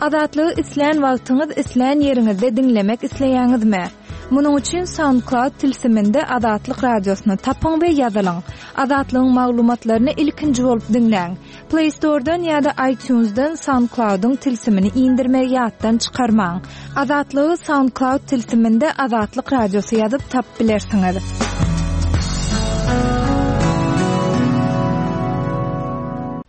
Azatlygy islän wagtyňyz, islän ýeriňizde diňlemek isleýäňizmi? Munuň üçin SoundCloud tilsiminde Azatlyk Radiosyny tapyň we ýazylyň. Azatlygyň maglumatlaryny ilkinji bolup diňläň. Play Store-dan ýa-da iTunes-dan SoundCloud-yň tilsimini indirmegi ýatdan çykarmaň. Azatlygy SoundCloud tilsiminde Azatlyk Radiosy ýazyp tapyp bilersiňiz.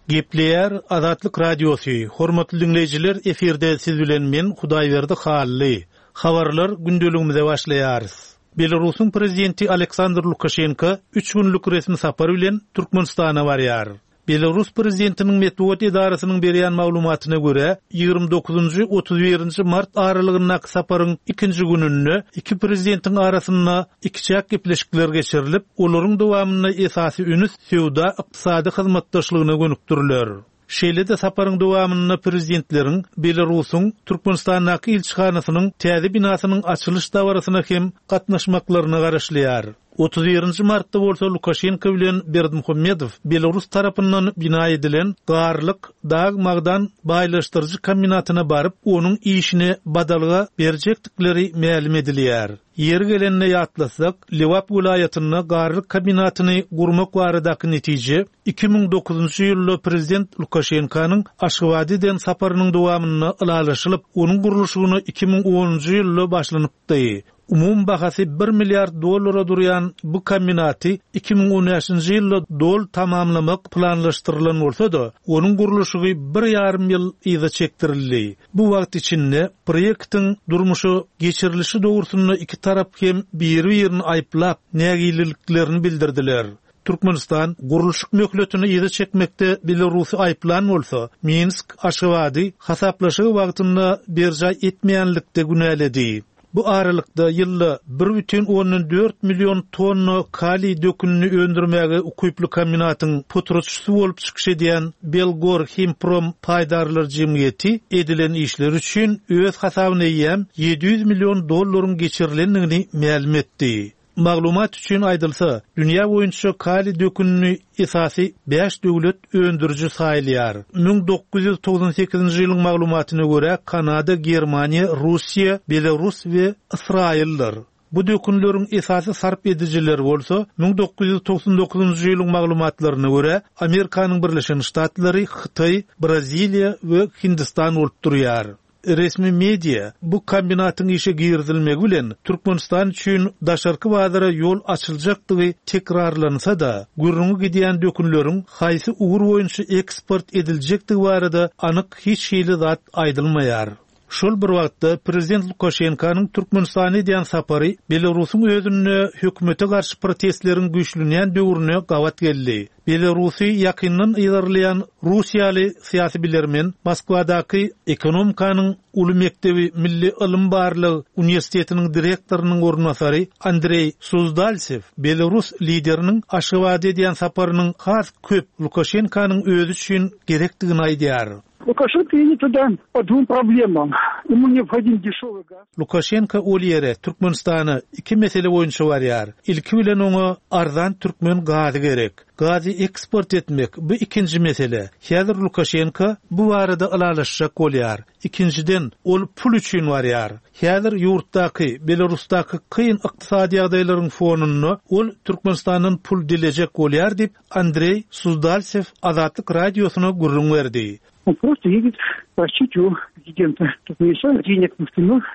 Gepleýär Azatlyk Radiosy, Hormatly diňleýjiler efirde siz bilen men Hudaýberdi Hally. Habarlar gündeligimize başlaýarys. Belarusyň prezidenti Aleksandr Lukaşenko üç günlük resmi sapar bilen Türkmenistana barýar. Belarus prezidentiniň metbugat edarasynyň berýän maglumatyna görä, 29-njy, 31-nji mart aralygyndaky saparyň ikinji gününde iki prezidentiň arasynda ikiçäk gepleşikler geçirilip, olaryň dowamynda esasy ünüs söwda-ykdysady hyzmatdaşlygyna gönükdiriler. Şeýle-de saparyň dowamynda prezidentleriň Belarusyň Türkmenistandaky ilçihanasynyň täze binasynyň açylyş dabarasyna hem gatnaşmaklaryna garaşylýar. 31-nji martda bolsa Lukaşenko bilen Berdimuhamedow belarus tarapyndan bina edilen Garlyk dag-magdan baýlaşdyryjy kombinatyna baryp, onuň işine badalga berjekdikleri mälim edilýär. Ýeri gelende ýatlatsak, Lebap welaýatynda Garlyk kombinatyny gurmak baradaky netije 2009-njy ýylda prezident Lukaşenkonyň Aşgabada eden saparynyň dowamynda ylalaşylyp, onuň gurluşygyna 2010-njy ýylda başlanypdy. Umumy bahasy bir milliard dollara durýan bu kombinaty 2015-nji ýylda doly tamamlamak planlaşdyrylan bolsa-da, onuň gurluşygy bir ýarym ýyl yza çekdirildi. Bu wagt içinde proýektiň durmuşa geçirilişi dogrusynda iki tarap hem biri-birini aýyplap, nägileliklerini bildirdiler. Türkmenistan gurluşyk möhletini yza çekmekde Belarusy aýyplan bolsa, Minsk Aşgabady hasaplaşygy wagtynda berjaý etmeýänlikde günäledi. Bu aralykda, ýylda 1,4 million tonna kaliý dökünini öndürmäge ukyply kombinatyň potratçysy bolup çykyş edýän Belgorhimprom paýdarlar jemgyýeti edilen işler üçin öz hasabyna eýýäm 700 million dollaryň geçirilendigini mälim etdi. Maglumat üçin aýdylsa, dünýä boýunça kaliý dökünini esasy bäş döwlet öndüriji saýylýar. 1998-nji ýylyň maglumatyna görä, Kanada, Germaniýa, Russiýa, Belarus we Ysraýyldyr. Bu dökünleriň esasy sarp edijileri bolsa, 1999-njy ýylyň maglumatlaryna görä, Amerikanyň Birleşen Ştatlary, Hytaý, Braziliýa we Hindistan bolup durýar. Resmi media bu kombinatyň işe girizilmegi bilen Türkmenistan üçin daşarky bazara ýol açyljakdygy tekrarlansa-da, gürrüňi gidýän dökünleriň haýsy ugur boýunça eksport ediljekdigi barada anyk hiç hili zat aýdylmaýar. Şol bir wagtda, prezident Lukaşenkanyň Türkmenistana edýän sapary Belarusyň özünde hökümete garşy protestleriň güýçlenýän döwrüne gabat geldi. Belarusy ýakyndan yzarlaýan russiýaly syýasy bilermen, Moskwadaky Ekonomikanyň uly mekdebi milli ylym-barlag uniwersitetiniň direktorynyň orunbasary Andreý Suzdalsew belarus lideriniň Aşgabada edýän saparynyň has köp Lukaşenkanyň özi üçin gerekdigini aýdýar. Lukaşenko едет туда по двум problemam. Ему neobhodim deşewyý gaz. Lukaşenko ol ýere, Türkmenistana iki mesele boýunça barýar. Ilki bilen oňa arzan türkmen gazy gerek. Gazy eksport etmek, bu ikinji mesele. Häzir Lukaşenko bu barada ylalaşjak bolýar. Ikinjiden, ol pul üçin barýar. Häzir ýurtdaky, Belarusdaky kyn ykdysady ýagdaýlaryň fonunda ol Türkmenistandan pul dilejek bolýar diýip, Andreý Suzdalsew Azatlyk Radiosyna gürrüň berdi. On prosto ýedit prosit u prezidenta Türkmenistana deneg w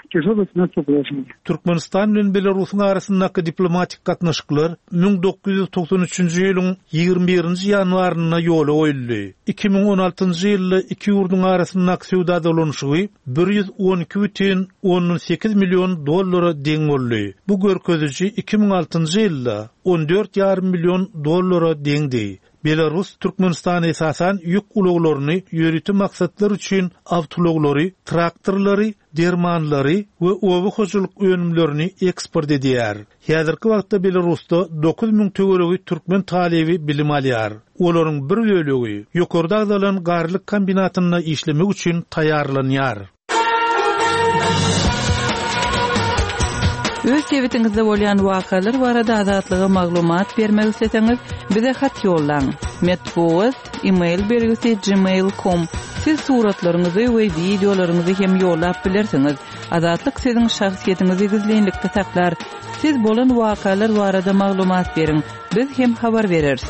týažolyý finansowyý položeniýe. Türkmenistan bilen Belarusyň arasyndaky diplomatik gatnaşyklar 1993-nji ýylyň 21-nji ýanwarynda ýola goýuldy. 2016-njy ýylda iki ýurduň arasyndaky söwda dolanyşygy 112,8 million dollara deň boldy. Bu görkeziji 2006-njy ýylda 14 ýarym million dollara deňdi. Belarus Türkmenistana esasan ýük ulaglaryny, ýörite maksatlar üçin awtoulaglary, traktorlary, dermanlary we oba hojalyk önümlerini eksport edýär. Häzirki wagtda Belarusda 9000 töweregi türkmen talyby bilim alýar. Olaryň bir bölegi ýokarda agzalan Garlyk kombinatynda işlemek üçin taýýarlanýar. Öz sebitiňizde bolýan wakalar barada Azatlyga maglumat bermek isleseňiz, bize hat ýollaň. Metbugat, e-mail belgisi gmail com. Siz suratlaryňyzy we wideolaryňyzy hem ýollap bilersiňiz. Azatlyk siziň şahsyýetiňizi gizlinlikde saklar. Siz bolan wakalar barada maglumat beriň, biz hem habar bereris.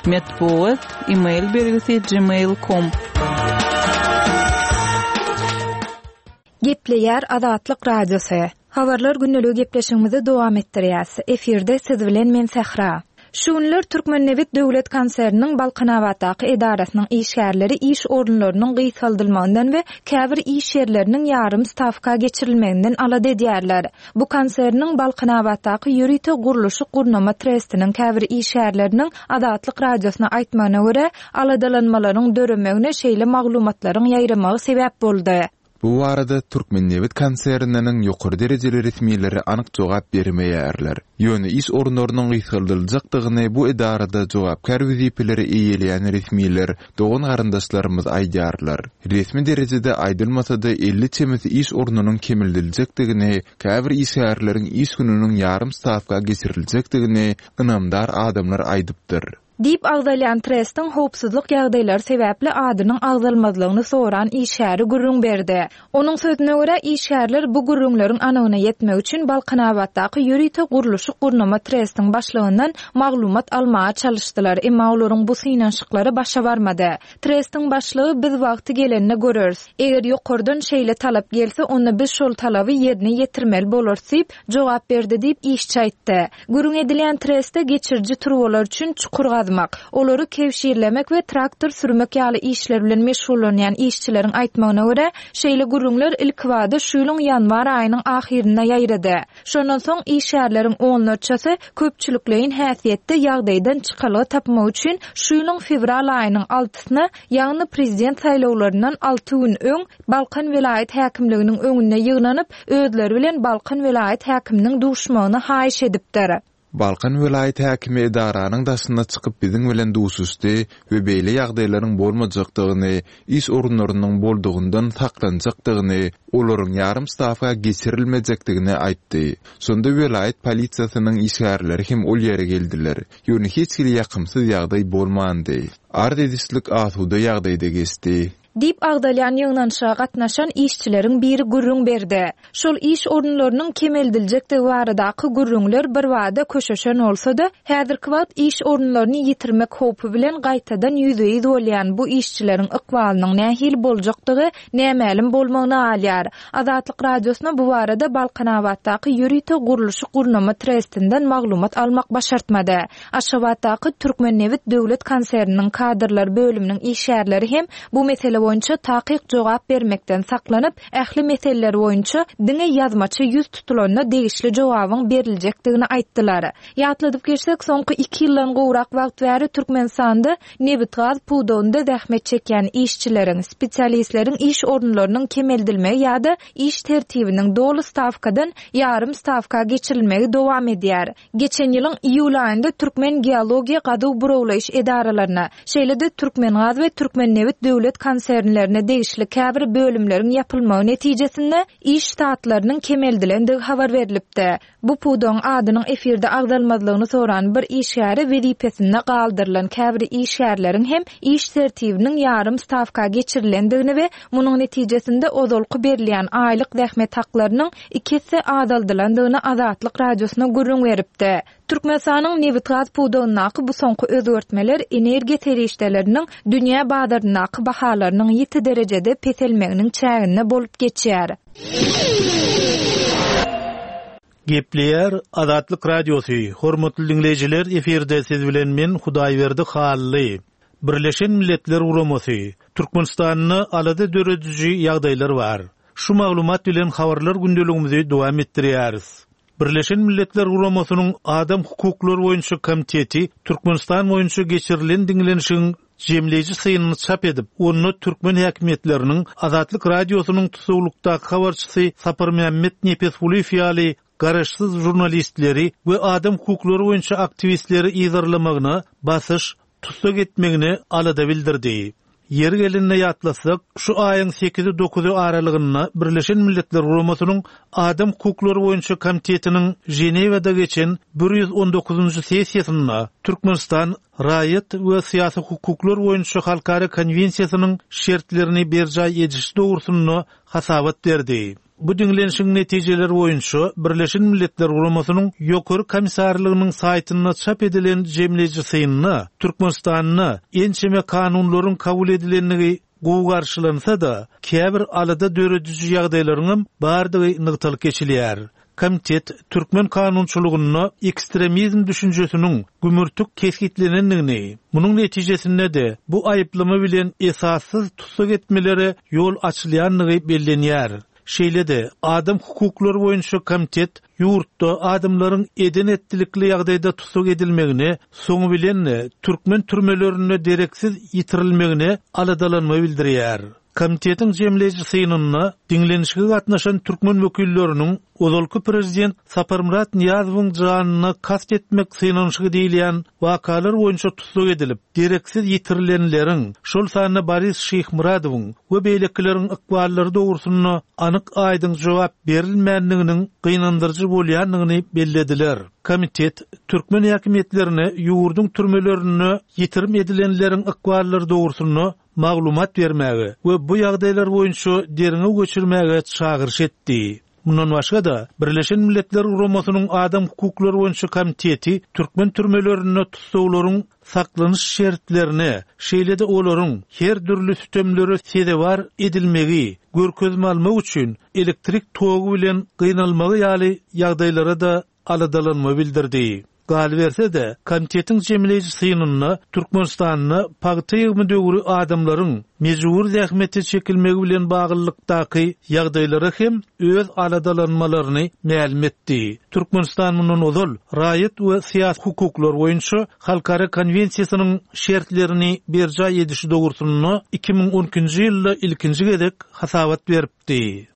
Metbugat, e-mail belgisi gmail com. Gepleýär Azatlyk Radiosy. Habarlar gündeligi gepleşigimizi dowam etdirýäs. Efirde siz bilen men Sähra. Şu günler Türkmennebit döwlet konserniniň Balkanabatdaky edarasynyň işgärleri iş orunlarynyň gysgaldylmagyndan we käbir iş ýerleriniň ýarym stawka geçirilmeginden alada edýärler. Bu konserniň Balkanabatdaky ýörite gurluşyk-gurnama trestiniň käbir işgärleriniň Azatlyk Radiosyna aýtmagyna görä, aladalanmalaryň döremegine şeýle maglumatlaryň ýaýramagy sebäp boldy. Bu barada Türkmennebit konserniniň ýokary derejeli resmileri anyk jogap bermeýärler. Ýöne iş orunlarynyň gysgaldyljakdygyny bu edarada jogapkär wezipeleri eýeleýän resmiler, dogan-garyndaşlarymyz aýdýarlar. Resmi derejede aýdylmasa-da 50 çemesi iş ornunyň kemeldiljekdigini, käbir işgärleriň iş gününiň ýarym stawka geçiriljekdigini ynamdar adamlar aýdypdyr. Diýip agzalýan trestiň howpsuzlyk ýagdaýlary sebäpli adynyň agzalmazlygyny soran işgäri gürrüň berdi. Onuň sözüne görä, işgärler bu gürrüňleriň anygyna ýetmek üçin Balkanabatdaky ýörite gurluşyk-gurnama trestiň başlygyndan maglumat almaga çalyşdylar, emma olaryň bu synanyşyklary başa barmady. Trestiň başlygy biz wagty gelende göreris. Eger ýokardan şeýle talap gelse, onda biz şol talaby ýerine ýetirmeli bolarys diýip, jogap berdi diýip, işçi aýtdy. Gürrüň edilýän trestde geçiriji turbalar üçin çukur gazmak, olary kebşirlemek we traktor sürmek ýaly işler bilen meşgullanýan işçileriň aýtmagyna görä, şeýle gürrüňler ilkibada şu ýylyň ýanwar aýynyň ahyrynda ýaýrady. Şondan soň işgärleriň onlarçasy köpçülikleýin häsiýetde ýagdaýdan çykalga tapmak üçin şu ýylyň fewral aýynyň altysyna, ýagny prezident saýlawlaryndan alty gün öň Balkan welaýat häkimliginiň öňünde ýygnanyp, özleri bilen Balkan welaýat häkiminiň duşmagyny haýyş edipdir. Balkan welaýat häkimi edaranyň daşyna çykyp biziň bilen duşuşdy we beýle ýagdaýlaryň bolmajakdygyny, iş orunlarynyň boldugyndan saklanjakdygyny, olaryň ýarym stawka geçirilmejekdigini aýtdy. Şonda welaýat polisiýasynyň işgärleri hem ol ýere geldiler. Ýöne hiç hili ýakymsyz ýagdaý bolmandy. Arz edişlik asuda ýagdaýda geçdi. Diýip agzalýan ýygnanyşyga gatnaşan işçileriň biri gürrüň berdi. Şol iş orunlarynyň kemeldiljekdigi baradaky gürrüňler birbada köşeşen bolsa-da, häzirki wagt iş orunlaryny ýitirmek howpy bilen gaýtadan ýüzbe-ýüz bolýan bu işçileriň ykbalynyň nähili boljakdygy nämälim bolmagyna galýar. Azatlyk Radiosyna bu barada Balkanabatdaky ýörite gurluşyk-gurnama trestinden maglumat almak başartmady. Aşgabatdaky Türkmennebit döwlet konserniniň kadrlar bölüminiň işgärleri hem bu mesele boýunça takyk jogap bermekden saklanyp, ähli meseleler boýunça diňe ýazmaça ýüz tutulanda degişli jogabyň beriljekdigini aýtdylar. Ýatladyp geçsek, soňky iki ýyldan gowrak wagt bäri Türkmenistanda nebitgaz pudagynda zähmet çekýän işçileriň, spesialistleriň iş orunlarynyň kemeldilmegi ýa-da iş tertibiniň doly stawkadan ýarym stawka geçirilmegi dowam edýär. Geçen ýylyň iýul aýynda Türkmengeologiýa gazuw-burawlaýyş edaralaryna, şeýle-de Türkmengaz we Türkmennebit döwlet konsernlerine degişli käbir bölümleriň ýapylmagy netijesinde iş ştatlarynyň kemeldilendigi habar berlipdi. Bu pudagyň adynyň efirde agzalmazlygyny soran bir işgäri wezipesinde galdyrylan käbir işgärleriň hem iş tertibiniň ýarym stawka geçirilendigini we munuň netijesinde ozalky berilýän aýlyk zähmet haklarynyň iki esse azaldylandygyny Azatlyk Radiosyna gürrüň beripdi. Türkmenistanyň nebitgaz pudagyndaky bu soňky özgertmeler energiýa serişdeleriniň dünýä bazaryndaky bahalarynyň ýiti derejede peselmeginiň çäginde bolup geçýär. Gepleýär Azatlyk Radiosy, Hormatly diňleýjiler, efirde siz bilen men Hudaýberdi Hally. Birleşen Milletler Guramasy, Türkmenistanda alada dörediji ýagdaýlar bar. Şu maglumat bilen habarlar gündeligimizi dowam etdirýäris. Birleşen Milletler Guramasynyň Adam hukuklary boýunça komiteti Türkmenistan boýunça geçirilen diňlenişigiň jemleýji synyny çap edip, onda türkmen häkimiýetleriniň Azatlyk Radiosynyň tussaglykdaky habarçysy Saparmämmet Nepesgulyýew ýaly garaşsyz žurnalistleri we adam hukuklary boýunça aktiwistleri yzarlamagyna, basyş, tussag etmegine alada bildirdi. Ýeri gelende ýatlatsak, şu aýyň sekizi-dokuzy aralygynda Birleşen Milletler Guramasynyň Adam hukuklary boýunça komitetiniň Ženewada geçen 119-njy sessiýasynda Türkmenistan Raýat we syýasy hukuklar boýunça halkara konwensiýasynyň şertlerini berjaý edişi dogrusynda hasabat berdi. Bu diňlenişigiň netijeleri boýunça Birleşen Milletler Guramasynyň Ýokary Komissarlygynyň saýtynda çap edilen jemleýji synda Türkmenistanda ençeme kanunlaryň kabul edilendigi gowy garşylansa-da, käbir alada dörediji ýagdaýlaryňam bardygy nygtalyp geçilýär. Komitet türkmen kanunçylygynda ekstremizm düşünjesiniň gümürtik kesgitlenendigini, munuň netijesinde-de bu aýyplama bilen esassyz tussag etmelere ýol açylýandygy bellenýär. Şeýle-de, adam hukuklary boýunça komitet ýurtda adamlaryň eden-etdilikli ýagdaýda tussag edilmegine, soňy bilen-de türkmen türmelerinde dereksiz ýitirilmegine aladalanma bildirýär. Komitetiň jemleýji synynda diňlenişige gatnaşan türkmen wekilleriniň ozalky prezident Saparmyrat Nyýazowyň janyna kast etmek synanyşygy diýilýän wakalar boýunça tussag edilip, dereksiz ýitirilenleriň, şol sanda Boris Şyhmyradowyň we beýlekileriň ykballary dogrusynda anyk-aýdyň jogap berilmändiginiň gynandyryjy bolýandygyny bellediler. Komitet türkmen häkimiýetlerine ýurduň türmelerinde ýitirim edilenleriň ykballary dogrusynda maglumat bermäge we bu ýagdaýlar boýunça derňew geçirmäge çagyryş etdi. Mundan başga-da, Birleşen Milletler Guramasynyň Adam hukuklary boýunça komiteti türkmen türmelerinde tussaglaryň saklanyş şertlerine, şeýle-de olaryň her dürli sütemlere sezewar edilmegi, görkezme almak üçin elektrik togy bilen gynalmagy ýaly ýagdaýlara-da aladalanma bildirdi. Galyberse-de, komitetiň jemleýji synynda Türkmenistanda pagta ýygymy döwri adamlaryň mejbury zähmete çekilmegi bilen baglylykdaky ýagdaýlara hem öz aladalanmalaryny mälim etdi. Türkmenistan mundan ozal Raýat we syýasy hukuklar boýunça halkara konwensiýasynyň şertlerini berjaý edişi dogrusynda 2012-nji ýylda ilkinji gezek hasabat beripdi.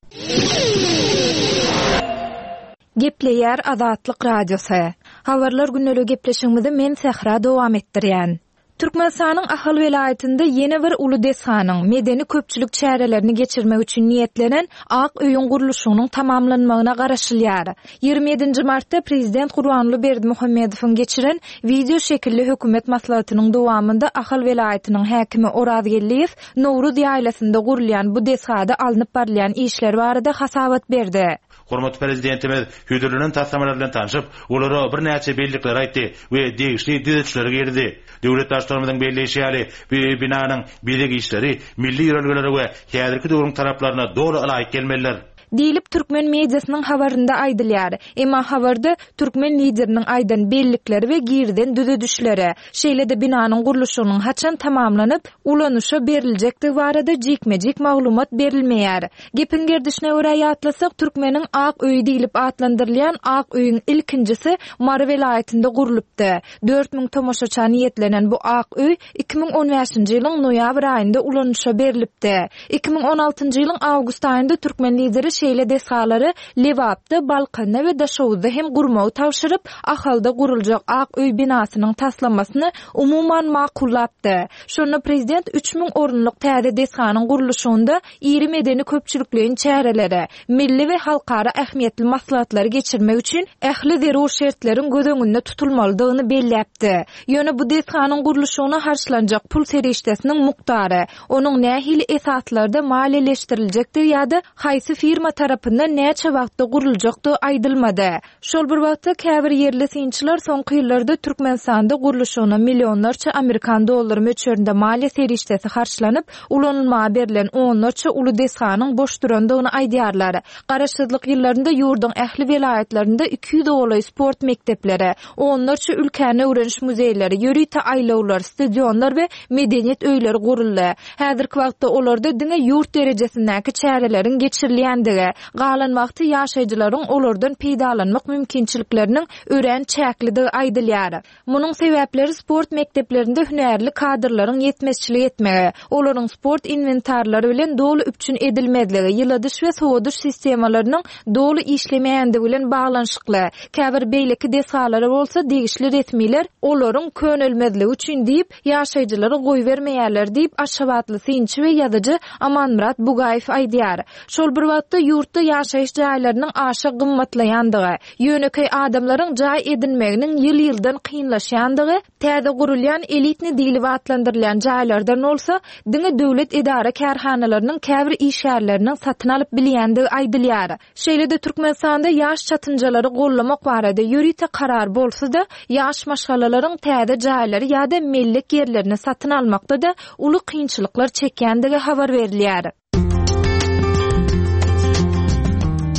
Gepleýär Azatlyk Radiosy. Habarlar gündeliği gepleşigimizi men Sähra dowam etdirýän. Türkmenistanyň Ahal welaýatynda ýene bir uly desganyň, medeni-köpçülik çärelerini geçirmek üçin niýetlenen Ak öýüň gurluşygynyň tamamlanmagyna garaşylýar. 27-nji martda prezident Gurbanguly Berdimuhamedowyň geçiren wideo şekilli hökümet maslahatynyň dowamynda Ahal welaýatynyň häkimi Oraz Geldiýew Nowruz ýaýlasynda gurulýan bu desgada alnyp barylýan işler barada hasabat berdi. Hormatly Prezidentimiz hödürlenen taslamalar bilen tanşyp, olara birnäçe bellikleri aýtdy we degişli düzedişleri girizdi. Döwlet Baştutanymyzyň belleýşi ýaly, bu binanyň bezeg işleri milli ýörelgelere we häzirki döwrüň talaplaryna doly ylaýyk gelmelidir. Diýlip, türkmen mediasynyň habarynda aýdylýar. Emma habarda türkmen Lideriniň aýdan bellikleri we girizen düzedişleri, şeýle-de binanyň gurluşygynyň haçan tamamlanyp, ulanyşa beriljekdigi barada jikme-jik maglumat berilmeýär. Gepiň gerdişine görä ýatlasak, Türkmeniň ak öýi diýlip atlandyrylýan ak öýüň ilkinjisi Mary welaýatynda gurlupdy. 4000 tomaşaça niýetlenen bu ak öý 2015-nji ýylyň noýabr aýynda ulanyşa berlipdi. 2016-njy ýylyň awgust aýynda türkmen Lideri şeýle desgalary Lebapda, Balkanda we Daşoguzda hem gurmagy tabşyryp, Ahalda guruljak ak öý binasynyň taslamasyny umuman makullapdy. Şonda prezident 3000 orunlyk täze desganyň gurluşygynda iri medeni-köpçülikleýin çäreleri, milli we halkara ähmiýetli maslahatlary geçirmek üçin ähli zerur şertleriň göz öňünde tutulmalydygyny belläpdi. Ýöne bu desganyň gurluşygyna harçlanjak pul serişdesiniň mukdary, onuň nähili esaslarda maliýeleşdiriljekdigi ýa-da haýsy firma tarapyndan näçe wagtda guruljakdygy aýdylmady. Şol bir wagtda, käbir ýerli synçylar soňky ýyllarda Türkmenistanda gurluşygyna millionlarça amerikan dollary möçberinde maliýe serişdesi harçlanyp, ulanylmaga berlen onlarça uly desganyň boş durandygyny aýdýarlar. Garaşsyzlyk ýyllarynda ýurduň ähli welaýatlarynda 200 golaý sport mekdepleri, onlarça ülkäni öwreniş muzeýleri, ýörite aýlawlar, stadionlar we medeniýet öýleri guruldy. Häzirki wagtda olarda diňe ýurt derejesindäki çäreleriň geçirilýändigi. edilýändigi, galan wagty ýaşaýjylaryň olardan peýdalanmak mümkinçilikleriniň örän çäklidigi aýdylýar. Munuň sebäpleri sport mekdeplerinde hünärli kadrlaryň ýetmezçilik etmegi, olaryň sport inwentarlary bilen doly üpjün edilmezligi, ýyladyş we sowadyş sistemalarynyň doly işlemeýändigi bilen baglanyşykly. Käbir beýleki desgalara bolsa degişli resmiler olaryň könelmezligi üçin diýip, ýaşaýjylary goýbermeýärler diýip, aşgabatly synçy we ýazyjy Amanmyrat Bugaýew aýdýar. Şol bir wagtda, ýurtda ýaşaýyş jaýlarynyň aşa gymmatlaýandygy, ýönekeý adamlaryň jaý edinmeginiň ýyl-ýyldan kynlaşýandygy, täze gurulýan elitni diýlip atlandyrylýan jaýlardan bolsa, diňe döwlet edara-kärhanalarynyň käbir işgärleriniň satyn alyp bilýändigi aýdylýar. Şeýle-de Türkmenistanda ýaş çatynjalary gollamak barada ýörite karar bolsa-da, ýaş maşgalalaryň täze jaýlary ýa-da mellek ýerlerini satyn almakda-da uly kynçylyklar çekýändigi habar berilýär.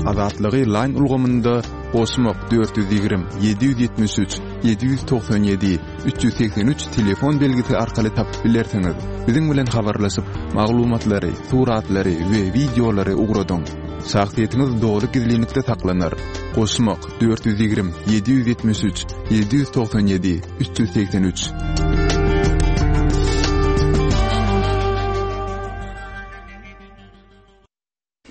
Azatlygy Line ulgamynda goşmak 420 773 797 383 telefon belgisi arkaly tapyp bilersiňiz. Biziň bilen habarlaşyp, maglumatlary, suratlary we wideolary ugradyň. Şahsyýetiňiz doly gizlinlikde saklanar. Goşmak 420 773 797 383.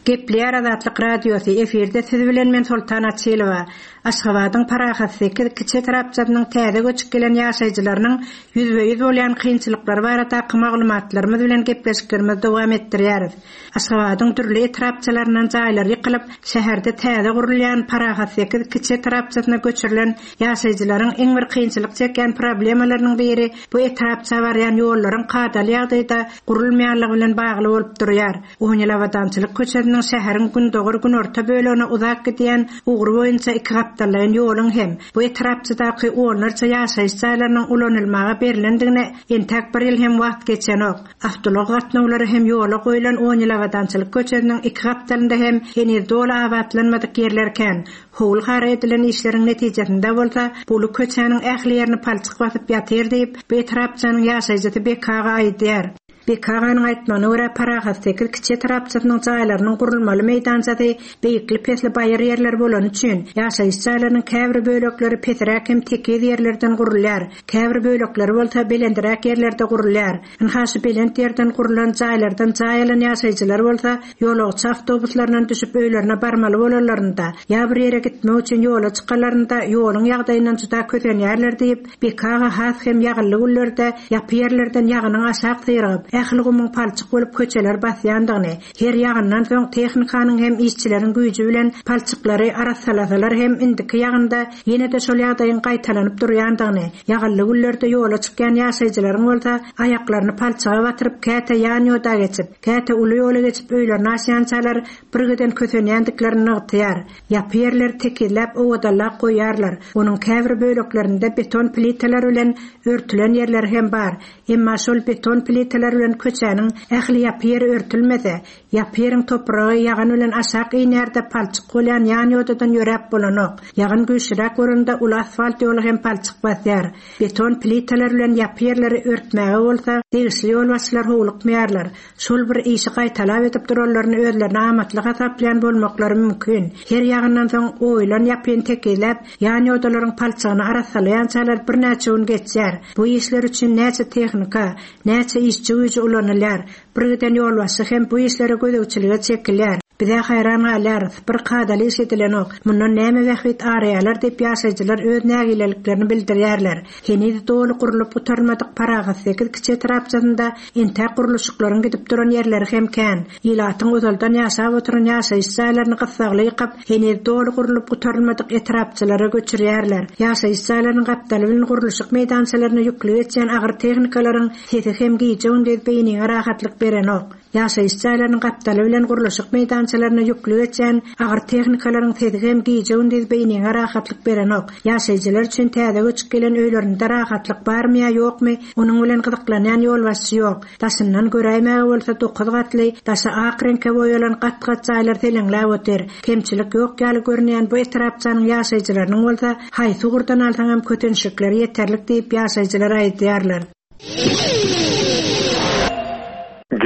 Gepleýär Azatlyk Radiosy, efirde siz bilen men Soltan Açylowa. Aşgabadyň Parahat 8 kiçi etrapçasynyň täze göçüp gelen ýaşaýjylarynyň ýüzbe-ýüz bolýan kynçylyklary baradaky maglumatlarymyz bilen gepleşiklerimizi dowam etdirýäris. Aşgabadyň dürli etrapçalaryndan jaýlary ýykylyp, şäherde täze gurulýan Parahat 8 kiçi etrapçasyna göçürilen Ýaşaýjylaryň iň bir kynçylyk çekýän problemalarynyň biri bu etrapça barýan ýollaryň kadaly ýagdaýda gurulmaýanlygy bilen bagly bolup durýar. On ýyl Abadançylyk köçesiniň şäheriň gündogar-günorta bölegine uzap gidýän ugry boýunça ikigapdallaýyn ýoluň hem bu etrapçadaky onlarça ýaşaýyş jaýlarynyň ulanylmaga berlendigine entäk bir ýyl hem wagt geçenok. Awtoulag gatnawlary hem ýola goýlan on ýyl Abadançylyk köçesiniň iki gapdalynda hem heniz doly abatlanmadyk ýerler kän. Howul-hara edilen işleriň netijesinde bolsa, uly köçäniň ähli ýerini palçyk basyp ýatyr diýip, bu etrapçanyň ýaşaýjysy Beki aga aýdýar. Beki aganyň aýtmagyna görä, Parahat 8 kiçi etrapçasynyň jaýlarynyň gurulmaly meýdançasy beýikli-pesli baýyr ýerler bolany üçin, ýaşaýyş jaýlarynyň käbir bölekleri pesräk hem tekiz ýerlerden gurulýar, käbir bölekleri bolsa belendiräk ýerlerde gurulýar. Ynha şu belent ýerden gurlan jaýlardan jaý alan ýaşaýjylar bolsa, ýolagçy awtobuslaryndan düşüp öýlerine barmaly bolanlarynda, ýa bir ýere gitmek üçin ýola çykanlarynda ýoluň ýagdaýyndan juda kösenýärler diýip, Beki aga has hem ýagynly günlerde ýapy ýerlerden ýagynyň aşak syrygyp, ähli gumuň palçyk bolup köçeleri basýandygyny, her ýagyndan soň tehnikanyň hem işçileriň güýji bilen palçyklary arassalasalar hem indiki ýagynda ýene-de şol ýagdaýyň gaýtalanyp durýandygyny, ýagynly günlerde ýola çykýan ýaşaýjylaryň bolsa aýaklaryny palçyga batyryp käte ýan ýoda geçip, käte uly ýola geçip öýlerine aşýançalar birgiden kösenýändiklerini nygtaýar. Ýapy ýerleri tekizläp owadanlap goýýarlar. Onuň käbir böleklerinde beton plitalar bilen örtülen ýerleri hem bar. Emma şol beton plitalar bilen köçäniň ähli ýapy ýeri örtülmese, ýapy ýeriň topragy ýagyn bilen aşak inýär-de palçyk bolýan ýan ýodadan ýöräp bolanok. Ýagyn güýçlüräk bolanda uly asfalt ýoly hem palçyk basýar. Beton plitalar bilen ýapy ýerleri örtmäge bolsa degişli ýolbaşçylar howlukmaýarlar. Şol bir işi gaýtalap edip duranlaryny özlerine amatly hasaplaýan bolmaklary mümkin. Her ýagyndan soň oýulan ýapyny tekizläp, ýan ýodalaryň palçygyny arassalaýançalar birnäçe gün geçýär. Bu işler üçin näçe tehnika, näçe işçi güýji ulanylýar. Birgiden ýolbaşçy hem bu işlere gözegçilige çekilýär. Biz-ä haýran galýarys, bir kadaly iş edilenok, mundan näme bähbit araýarlar diýip ýaşaýjylar öz nägileliklerini bildirýärler. Heniz doly gurlup gutarylmadyk Parahat 8 kiçi etrapçasynda entäk gurluşyklaryň gidip duran ýerleri hem kän. Ilatyň ozaldan ýaşap oturan ýaşaýyş jaýlaryny gyssagly ýykyp, heniz doly gurlup gutarylmadyk etrapçalara göçürýärler. Ýaşaýyş jaýlarynyň gapdaly bilen gurluşyk meýdançalaryna ýükli geçýän agyr tehnikalaryň sesi hem gije-gündiz beýniňe rahatlyk berenok. Ýaşaýyş jaýlarynyň gapdaly bilen gurluşyk meýdançalaryna ýükli geçýän agyr tehnikalaryň sesi hem gije-gündiz beýniňe rahatlyk berenok. Ýaşaýjylar üçin täze göçüp gelen öýlerinde rahatlyk barmy ýa ýokmy, onuň bilen gyzyklanýan ýolbaşçy ýok. Daşyndan göräýmäge bolsa dokuz gatly, daşy ak reňke boýalan gat-gat jaýlar seleňläp otyr. Kemçilik ýok ýaly görünýän bu etrapçanyň ýaşaýjylarynyň bolsa haýsy ugurdan alsaňam kötençlikleri ýeterlik diýip ýaşaýjylar aýdýarlar.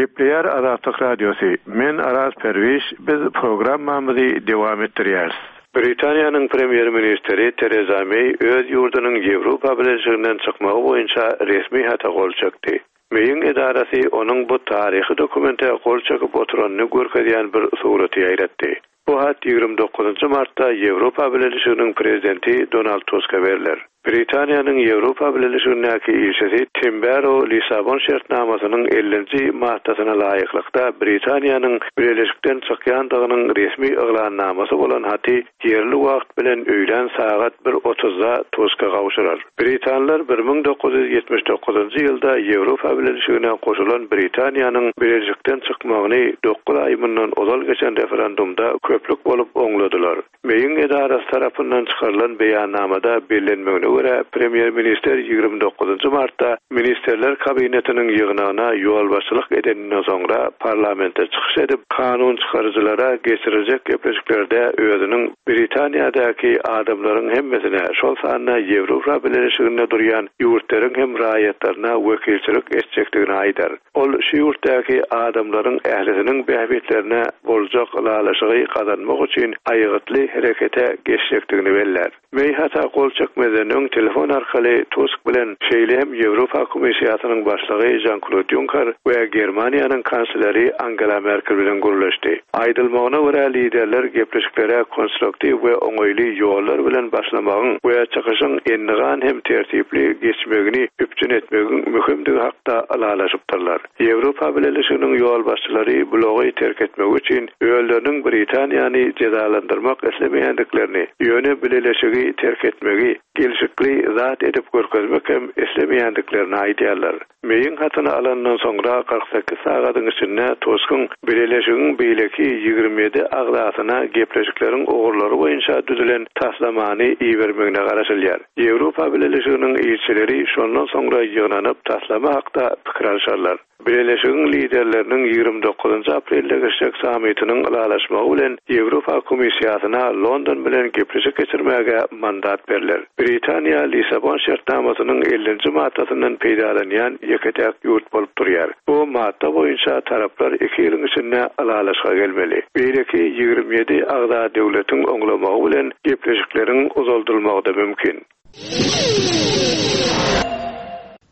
Gepleýär. Gepleýär Azatlyk Radiosy, Men Araz Perwiş, biz programmamyzy dowam etdirýäris. Britaniýanyň premýer-ministri Tereza Meý öz ýurdunyň Ýewropa Bileleşiginden çykmagy boýunça resmi hata gol çekdi. Meýiň edarasy onuň bu taryhy dokumente gol çekip oturanyny görkezýän bir suraty ýaýratdy. Bu hat 29 martda Ýewropa Bileleşiginiň Prezidenti Donald Tuska berler. Britaniýanyň Ýewropa Bileleşigindäki ilçisi Tim Barrow Lissabon şertnamasynyň ellinji maddasyna laýyklykda Britaniýanyň Bileleşikden çykýandygynyň resmi yglannamasy bolan haty ýerli wagt bilen öýlän sagat bir otuzda Tuska gowşurar. Britanlar 1979-njy ýylda Ýewropa Bileleşigine goşulan Britaniýanyň Bileleşikden çykmagyny dokuz aý mundan ozal geçen referendumda köplük bolup oňladylar. Meýiň edarasy tarapyndan çykarylan beýannamada bellenmegine görä, premýer-ministr 29-njy martda Ministrler Kabinetiniň ýygnagyna ýolbaşçylyk edeninden soňra parlamentde çykyş edip, kanun çykaryjylara geçiriljek gepleşiklerde özüniň Britaniýadaky adamlaryň hemmesine, şol sanda Ýewropa Bileleşiginde durýan ýurtlaryň hem raýatlaryna wekilçilik etjekdigini aýdar. Ol şu ýurtdaky adamlaryň ählisiniň bähbitlerine boljak ylalaşygy gazanmak üçin aýgytly herekete geçjekdigini bellär. Meý hata gol çekmezden öň telefon arkaly Tusk bilen, şeýle hem Ýewropa Komissiýasynyň başlygy Žan-Klod Ýunker we Germaniýanyň kansleri Angela Merkel bilen gürleşdi. Aýdylmagyna görä, liderler gepleşiklere konstruktiw we oňaýly ýollar bilen başlamagyň we çykyşyň endigan hem tertipli geçmegini üpjün etmegiň möhümdigi hakda ylalaşypdyrlar. Ýewropa Bileleşiginiň ýolbaşçylary blogy terk etmegi üçin özleriniň Britaniýany jezalandyrmak islemeýändiklerini, ýöne Bileleşigi terk etmegi gelşikli zat edip görkezmek hem islemeýändiklerini aýdýarlar. Meýiň hatyny alandan soňra 48 sagadyň içinde Tuskyň Bileleşigiň beýleki 27 agzasyna gepleşikleriň ugurlary boýunça düzülen taslamany ibermegine garaşylýar. Ýewropa Bileleşiginiň ilçileri şondan soňra ýygnanyp, taslama hakda pikir alşarlar. Bileleşigiň liderleriniň 29 aprelde geçjek sammitiniň ylalaşmagy bilen Ýewropa Komissiýasyna London bilen gepleşik geçirmäge mandat berler. Britaniýa Lissabon şertnamasynyň ellinji maddasyndan peýdalanýan ýeke-täk ýurt bolup durýar. Bu madda boýunça taraplar iki ýylyň içinde ylalaşyga gelmeli. Beýleki 27 agza döwletiň oňlamagy bilen gepleşikleriň uzaldylmagy-da mümkin.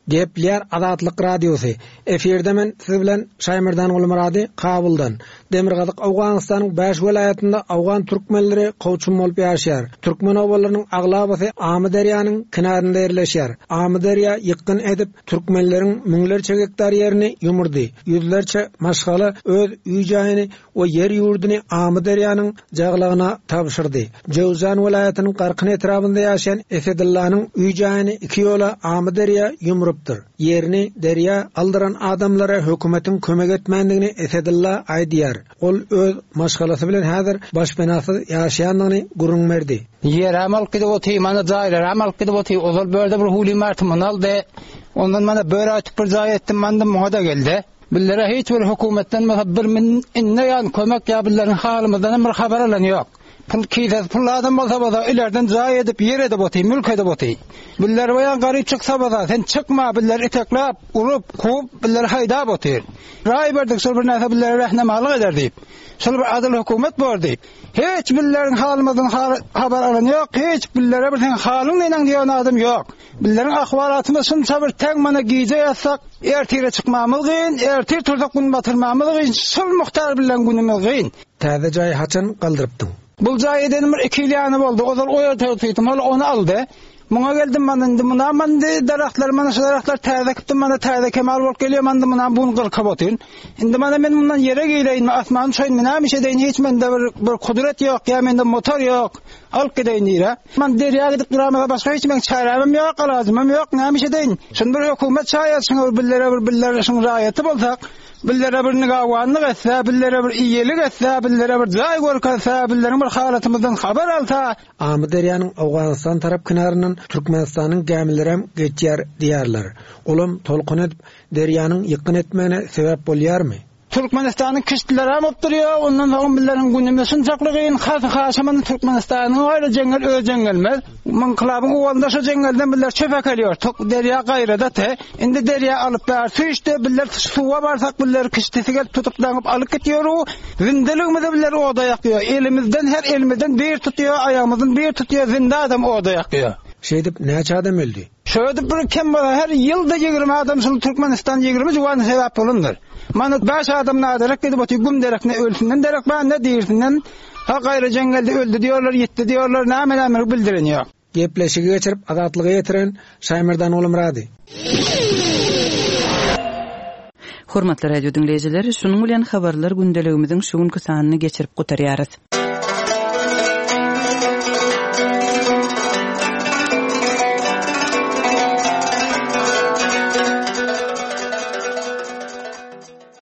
Gepleýär Azatlyk Radiosy. Efirde men siz bilen Şaýmerdan Gulmyrady Kabuldan. Demirgazyk Owganystanyň bäş welaýatynda owgan türkmenleri kowçum bolup ýaşaýar. Türkmen obalarynyň aglabasy Amyderýanyň kenarynda ýerleşýär. Amyderýa ýykgyn edip, türkmenleriň müňlerçe gektar ýerini ýumurdy. Ýüzlerçe maşgala öz öý-jaýyny we ýer-ýurduny Amyderýanyň jaglagyna tabşyrdy. Jöwzan welaýatynyň Garkyn etrabynda ýaşaýan Esedyllanyň öý-jaýyny iki ýola Amyderýa ýumrupdyr. Ýerini derýa aldyran adamlara hökümetiň kömek etmändigini Esedylla aýdýar. Ol öz maşgalasy bilen häzir başpenasyz ýaşaýandygyny gürrüň berdi. Ýerem alyp gidip otyr, mana jaýlaram alyp gidip otyr. Ozal börde bir hüwli martymyny aldy. Ondan mana bör aýtyp bir jaý etdim, mandym muňa-da geldi. Bizlere hiç bir hökümetden bolsa bir min indi ýan kömek ýa bizleriň halymyzdan hem bir habar alan ýok. Pul kisesi pully adam bolsa bolsa ilerden jaý edip ýer edip otyr, mülk edip otyr. Bizler bu ýan garyp çyksa bolsa sen çykma bizleri itekläp, urup, kowup bizleri haýdap otyr. Raý berdik şol bir närse bizlere rehnemalyk eder diýip. Şol bir adyl hökümet bor diýip. Hiç bizleriň halymyzdan habar alan ýok, hiç bizlere bir seň halyň neneň diýen adam ýok. Bizleriň ahwalatymyz şunça bir täň mana gije ýatsak, ertire çykmamyz gyn, ertir tursak gün batyrmamyz gyn, şul muhtar bilen günümiz gyn. Täze jaýy haçan galdyrypdyň? Bul jaý edenim bir iki ýyl ýany boldy. Ozal o ýerde otyrdym, ol ony aldy. Muňa geldim mana indi munam mana indi daragtlar mana şu daragtlar täze ekipdim mana täze kemal bolup gelýär mana indi munam bu gün gyrkyp otyryn. Indi mana men mundan ýere gireýinmi, asmana uçaýynmy, näme iş edeýin hiç mende bir bir kudret ýok ýa mende motor ýok. Alyp gideýin nirä? Man derýa gidip duramada başga hiç meň çärämem ýok, alajymam ýok, näme iş edeýin? Şuny bir hökümet şaýat şuňa bir billere bir billere şuň raýaty bolsak, billere bir nigawanlyk etse, billere bir iýelik etse, billere bir jaý görkezse, billeriň bir halatymyzdan habar alsa. Amyderýanyň Owganystan tarap kenaryndan Türkmenistanyň gämilerem geçýär diýýärler. Olam tolkun edip, derýanyň ýykgyn etmegine sebäp bolýarmy? Türkmenistanyň kiştilerem bolup durýar, ondan soň bizleriň günümiz şunçakly gyn, has haşamyny Türkmenistanyň gaýry jeňňel öz jeňňelmez. Ynkylabyň owalynda şo jeňňelden bizler çöp äkelýär, tok derýa gaýrada te. Indi derýa alyp bär süýşdi, bizler suwa barsak bizleri kiştisi gelip tutup daňyp alyp gitýär u. Zindeligimizi bizler oda ýakýar, elimizden her elimizden bir tutýar, aýagymyzdan bir tutýar, zinde adam oda ýakýar. Şeýdip näçe adam öldi? Şöýdip bir kem bolsa her ýylda 20 adam şul Türkmenistan 20 juwan sebäp bolandyr. Mana 5 adam naderek gidip otyr güm derekine ölsünden derek bar ne dirisinden ha gaýry jeňňelde öldi diýorlar ýitdi diýorlar näme näme bildiren ýok. Gepleşigi geçirip Azatlyga ýetiren Şaýmerdan Gulumyrady. Hormatly radio diňleýjiler, şunuň bilen habarlar gündeligimiziň şu günki sanyny geçirip gutarýarys.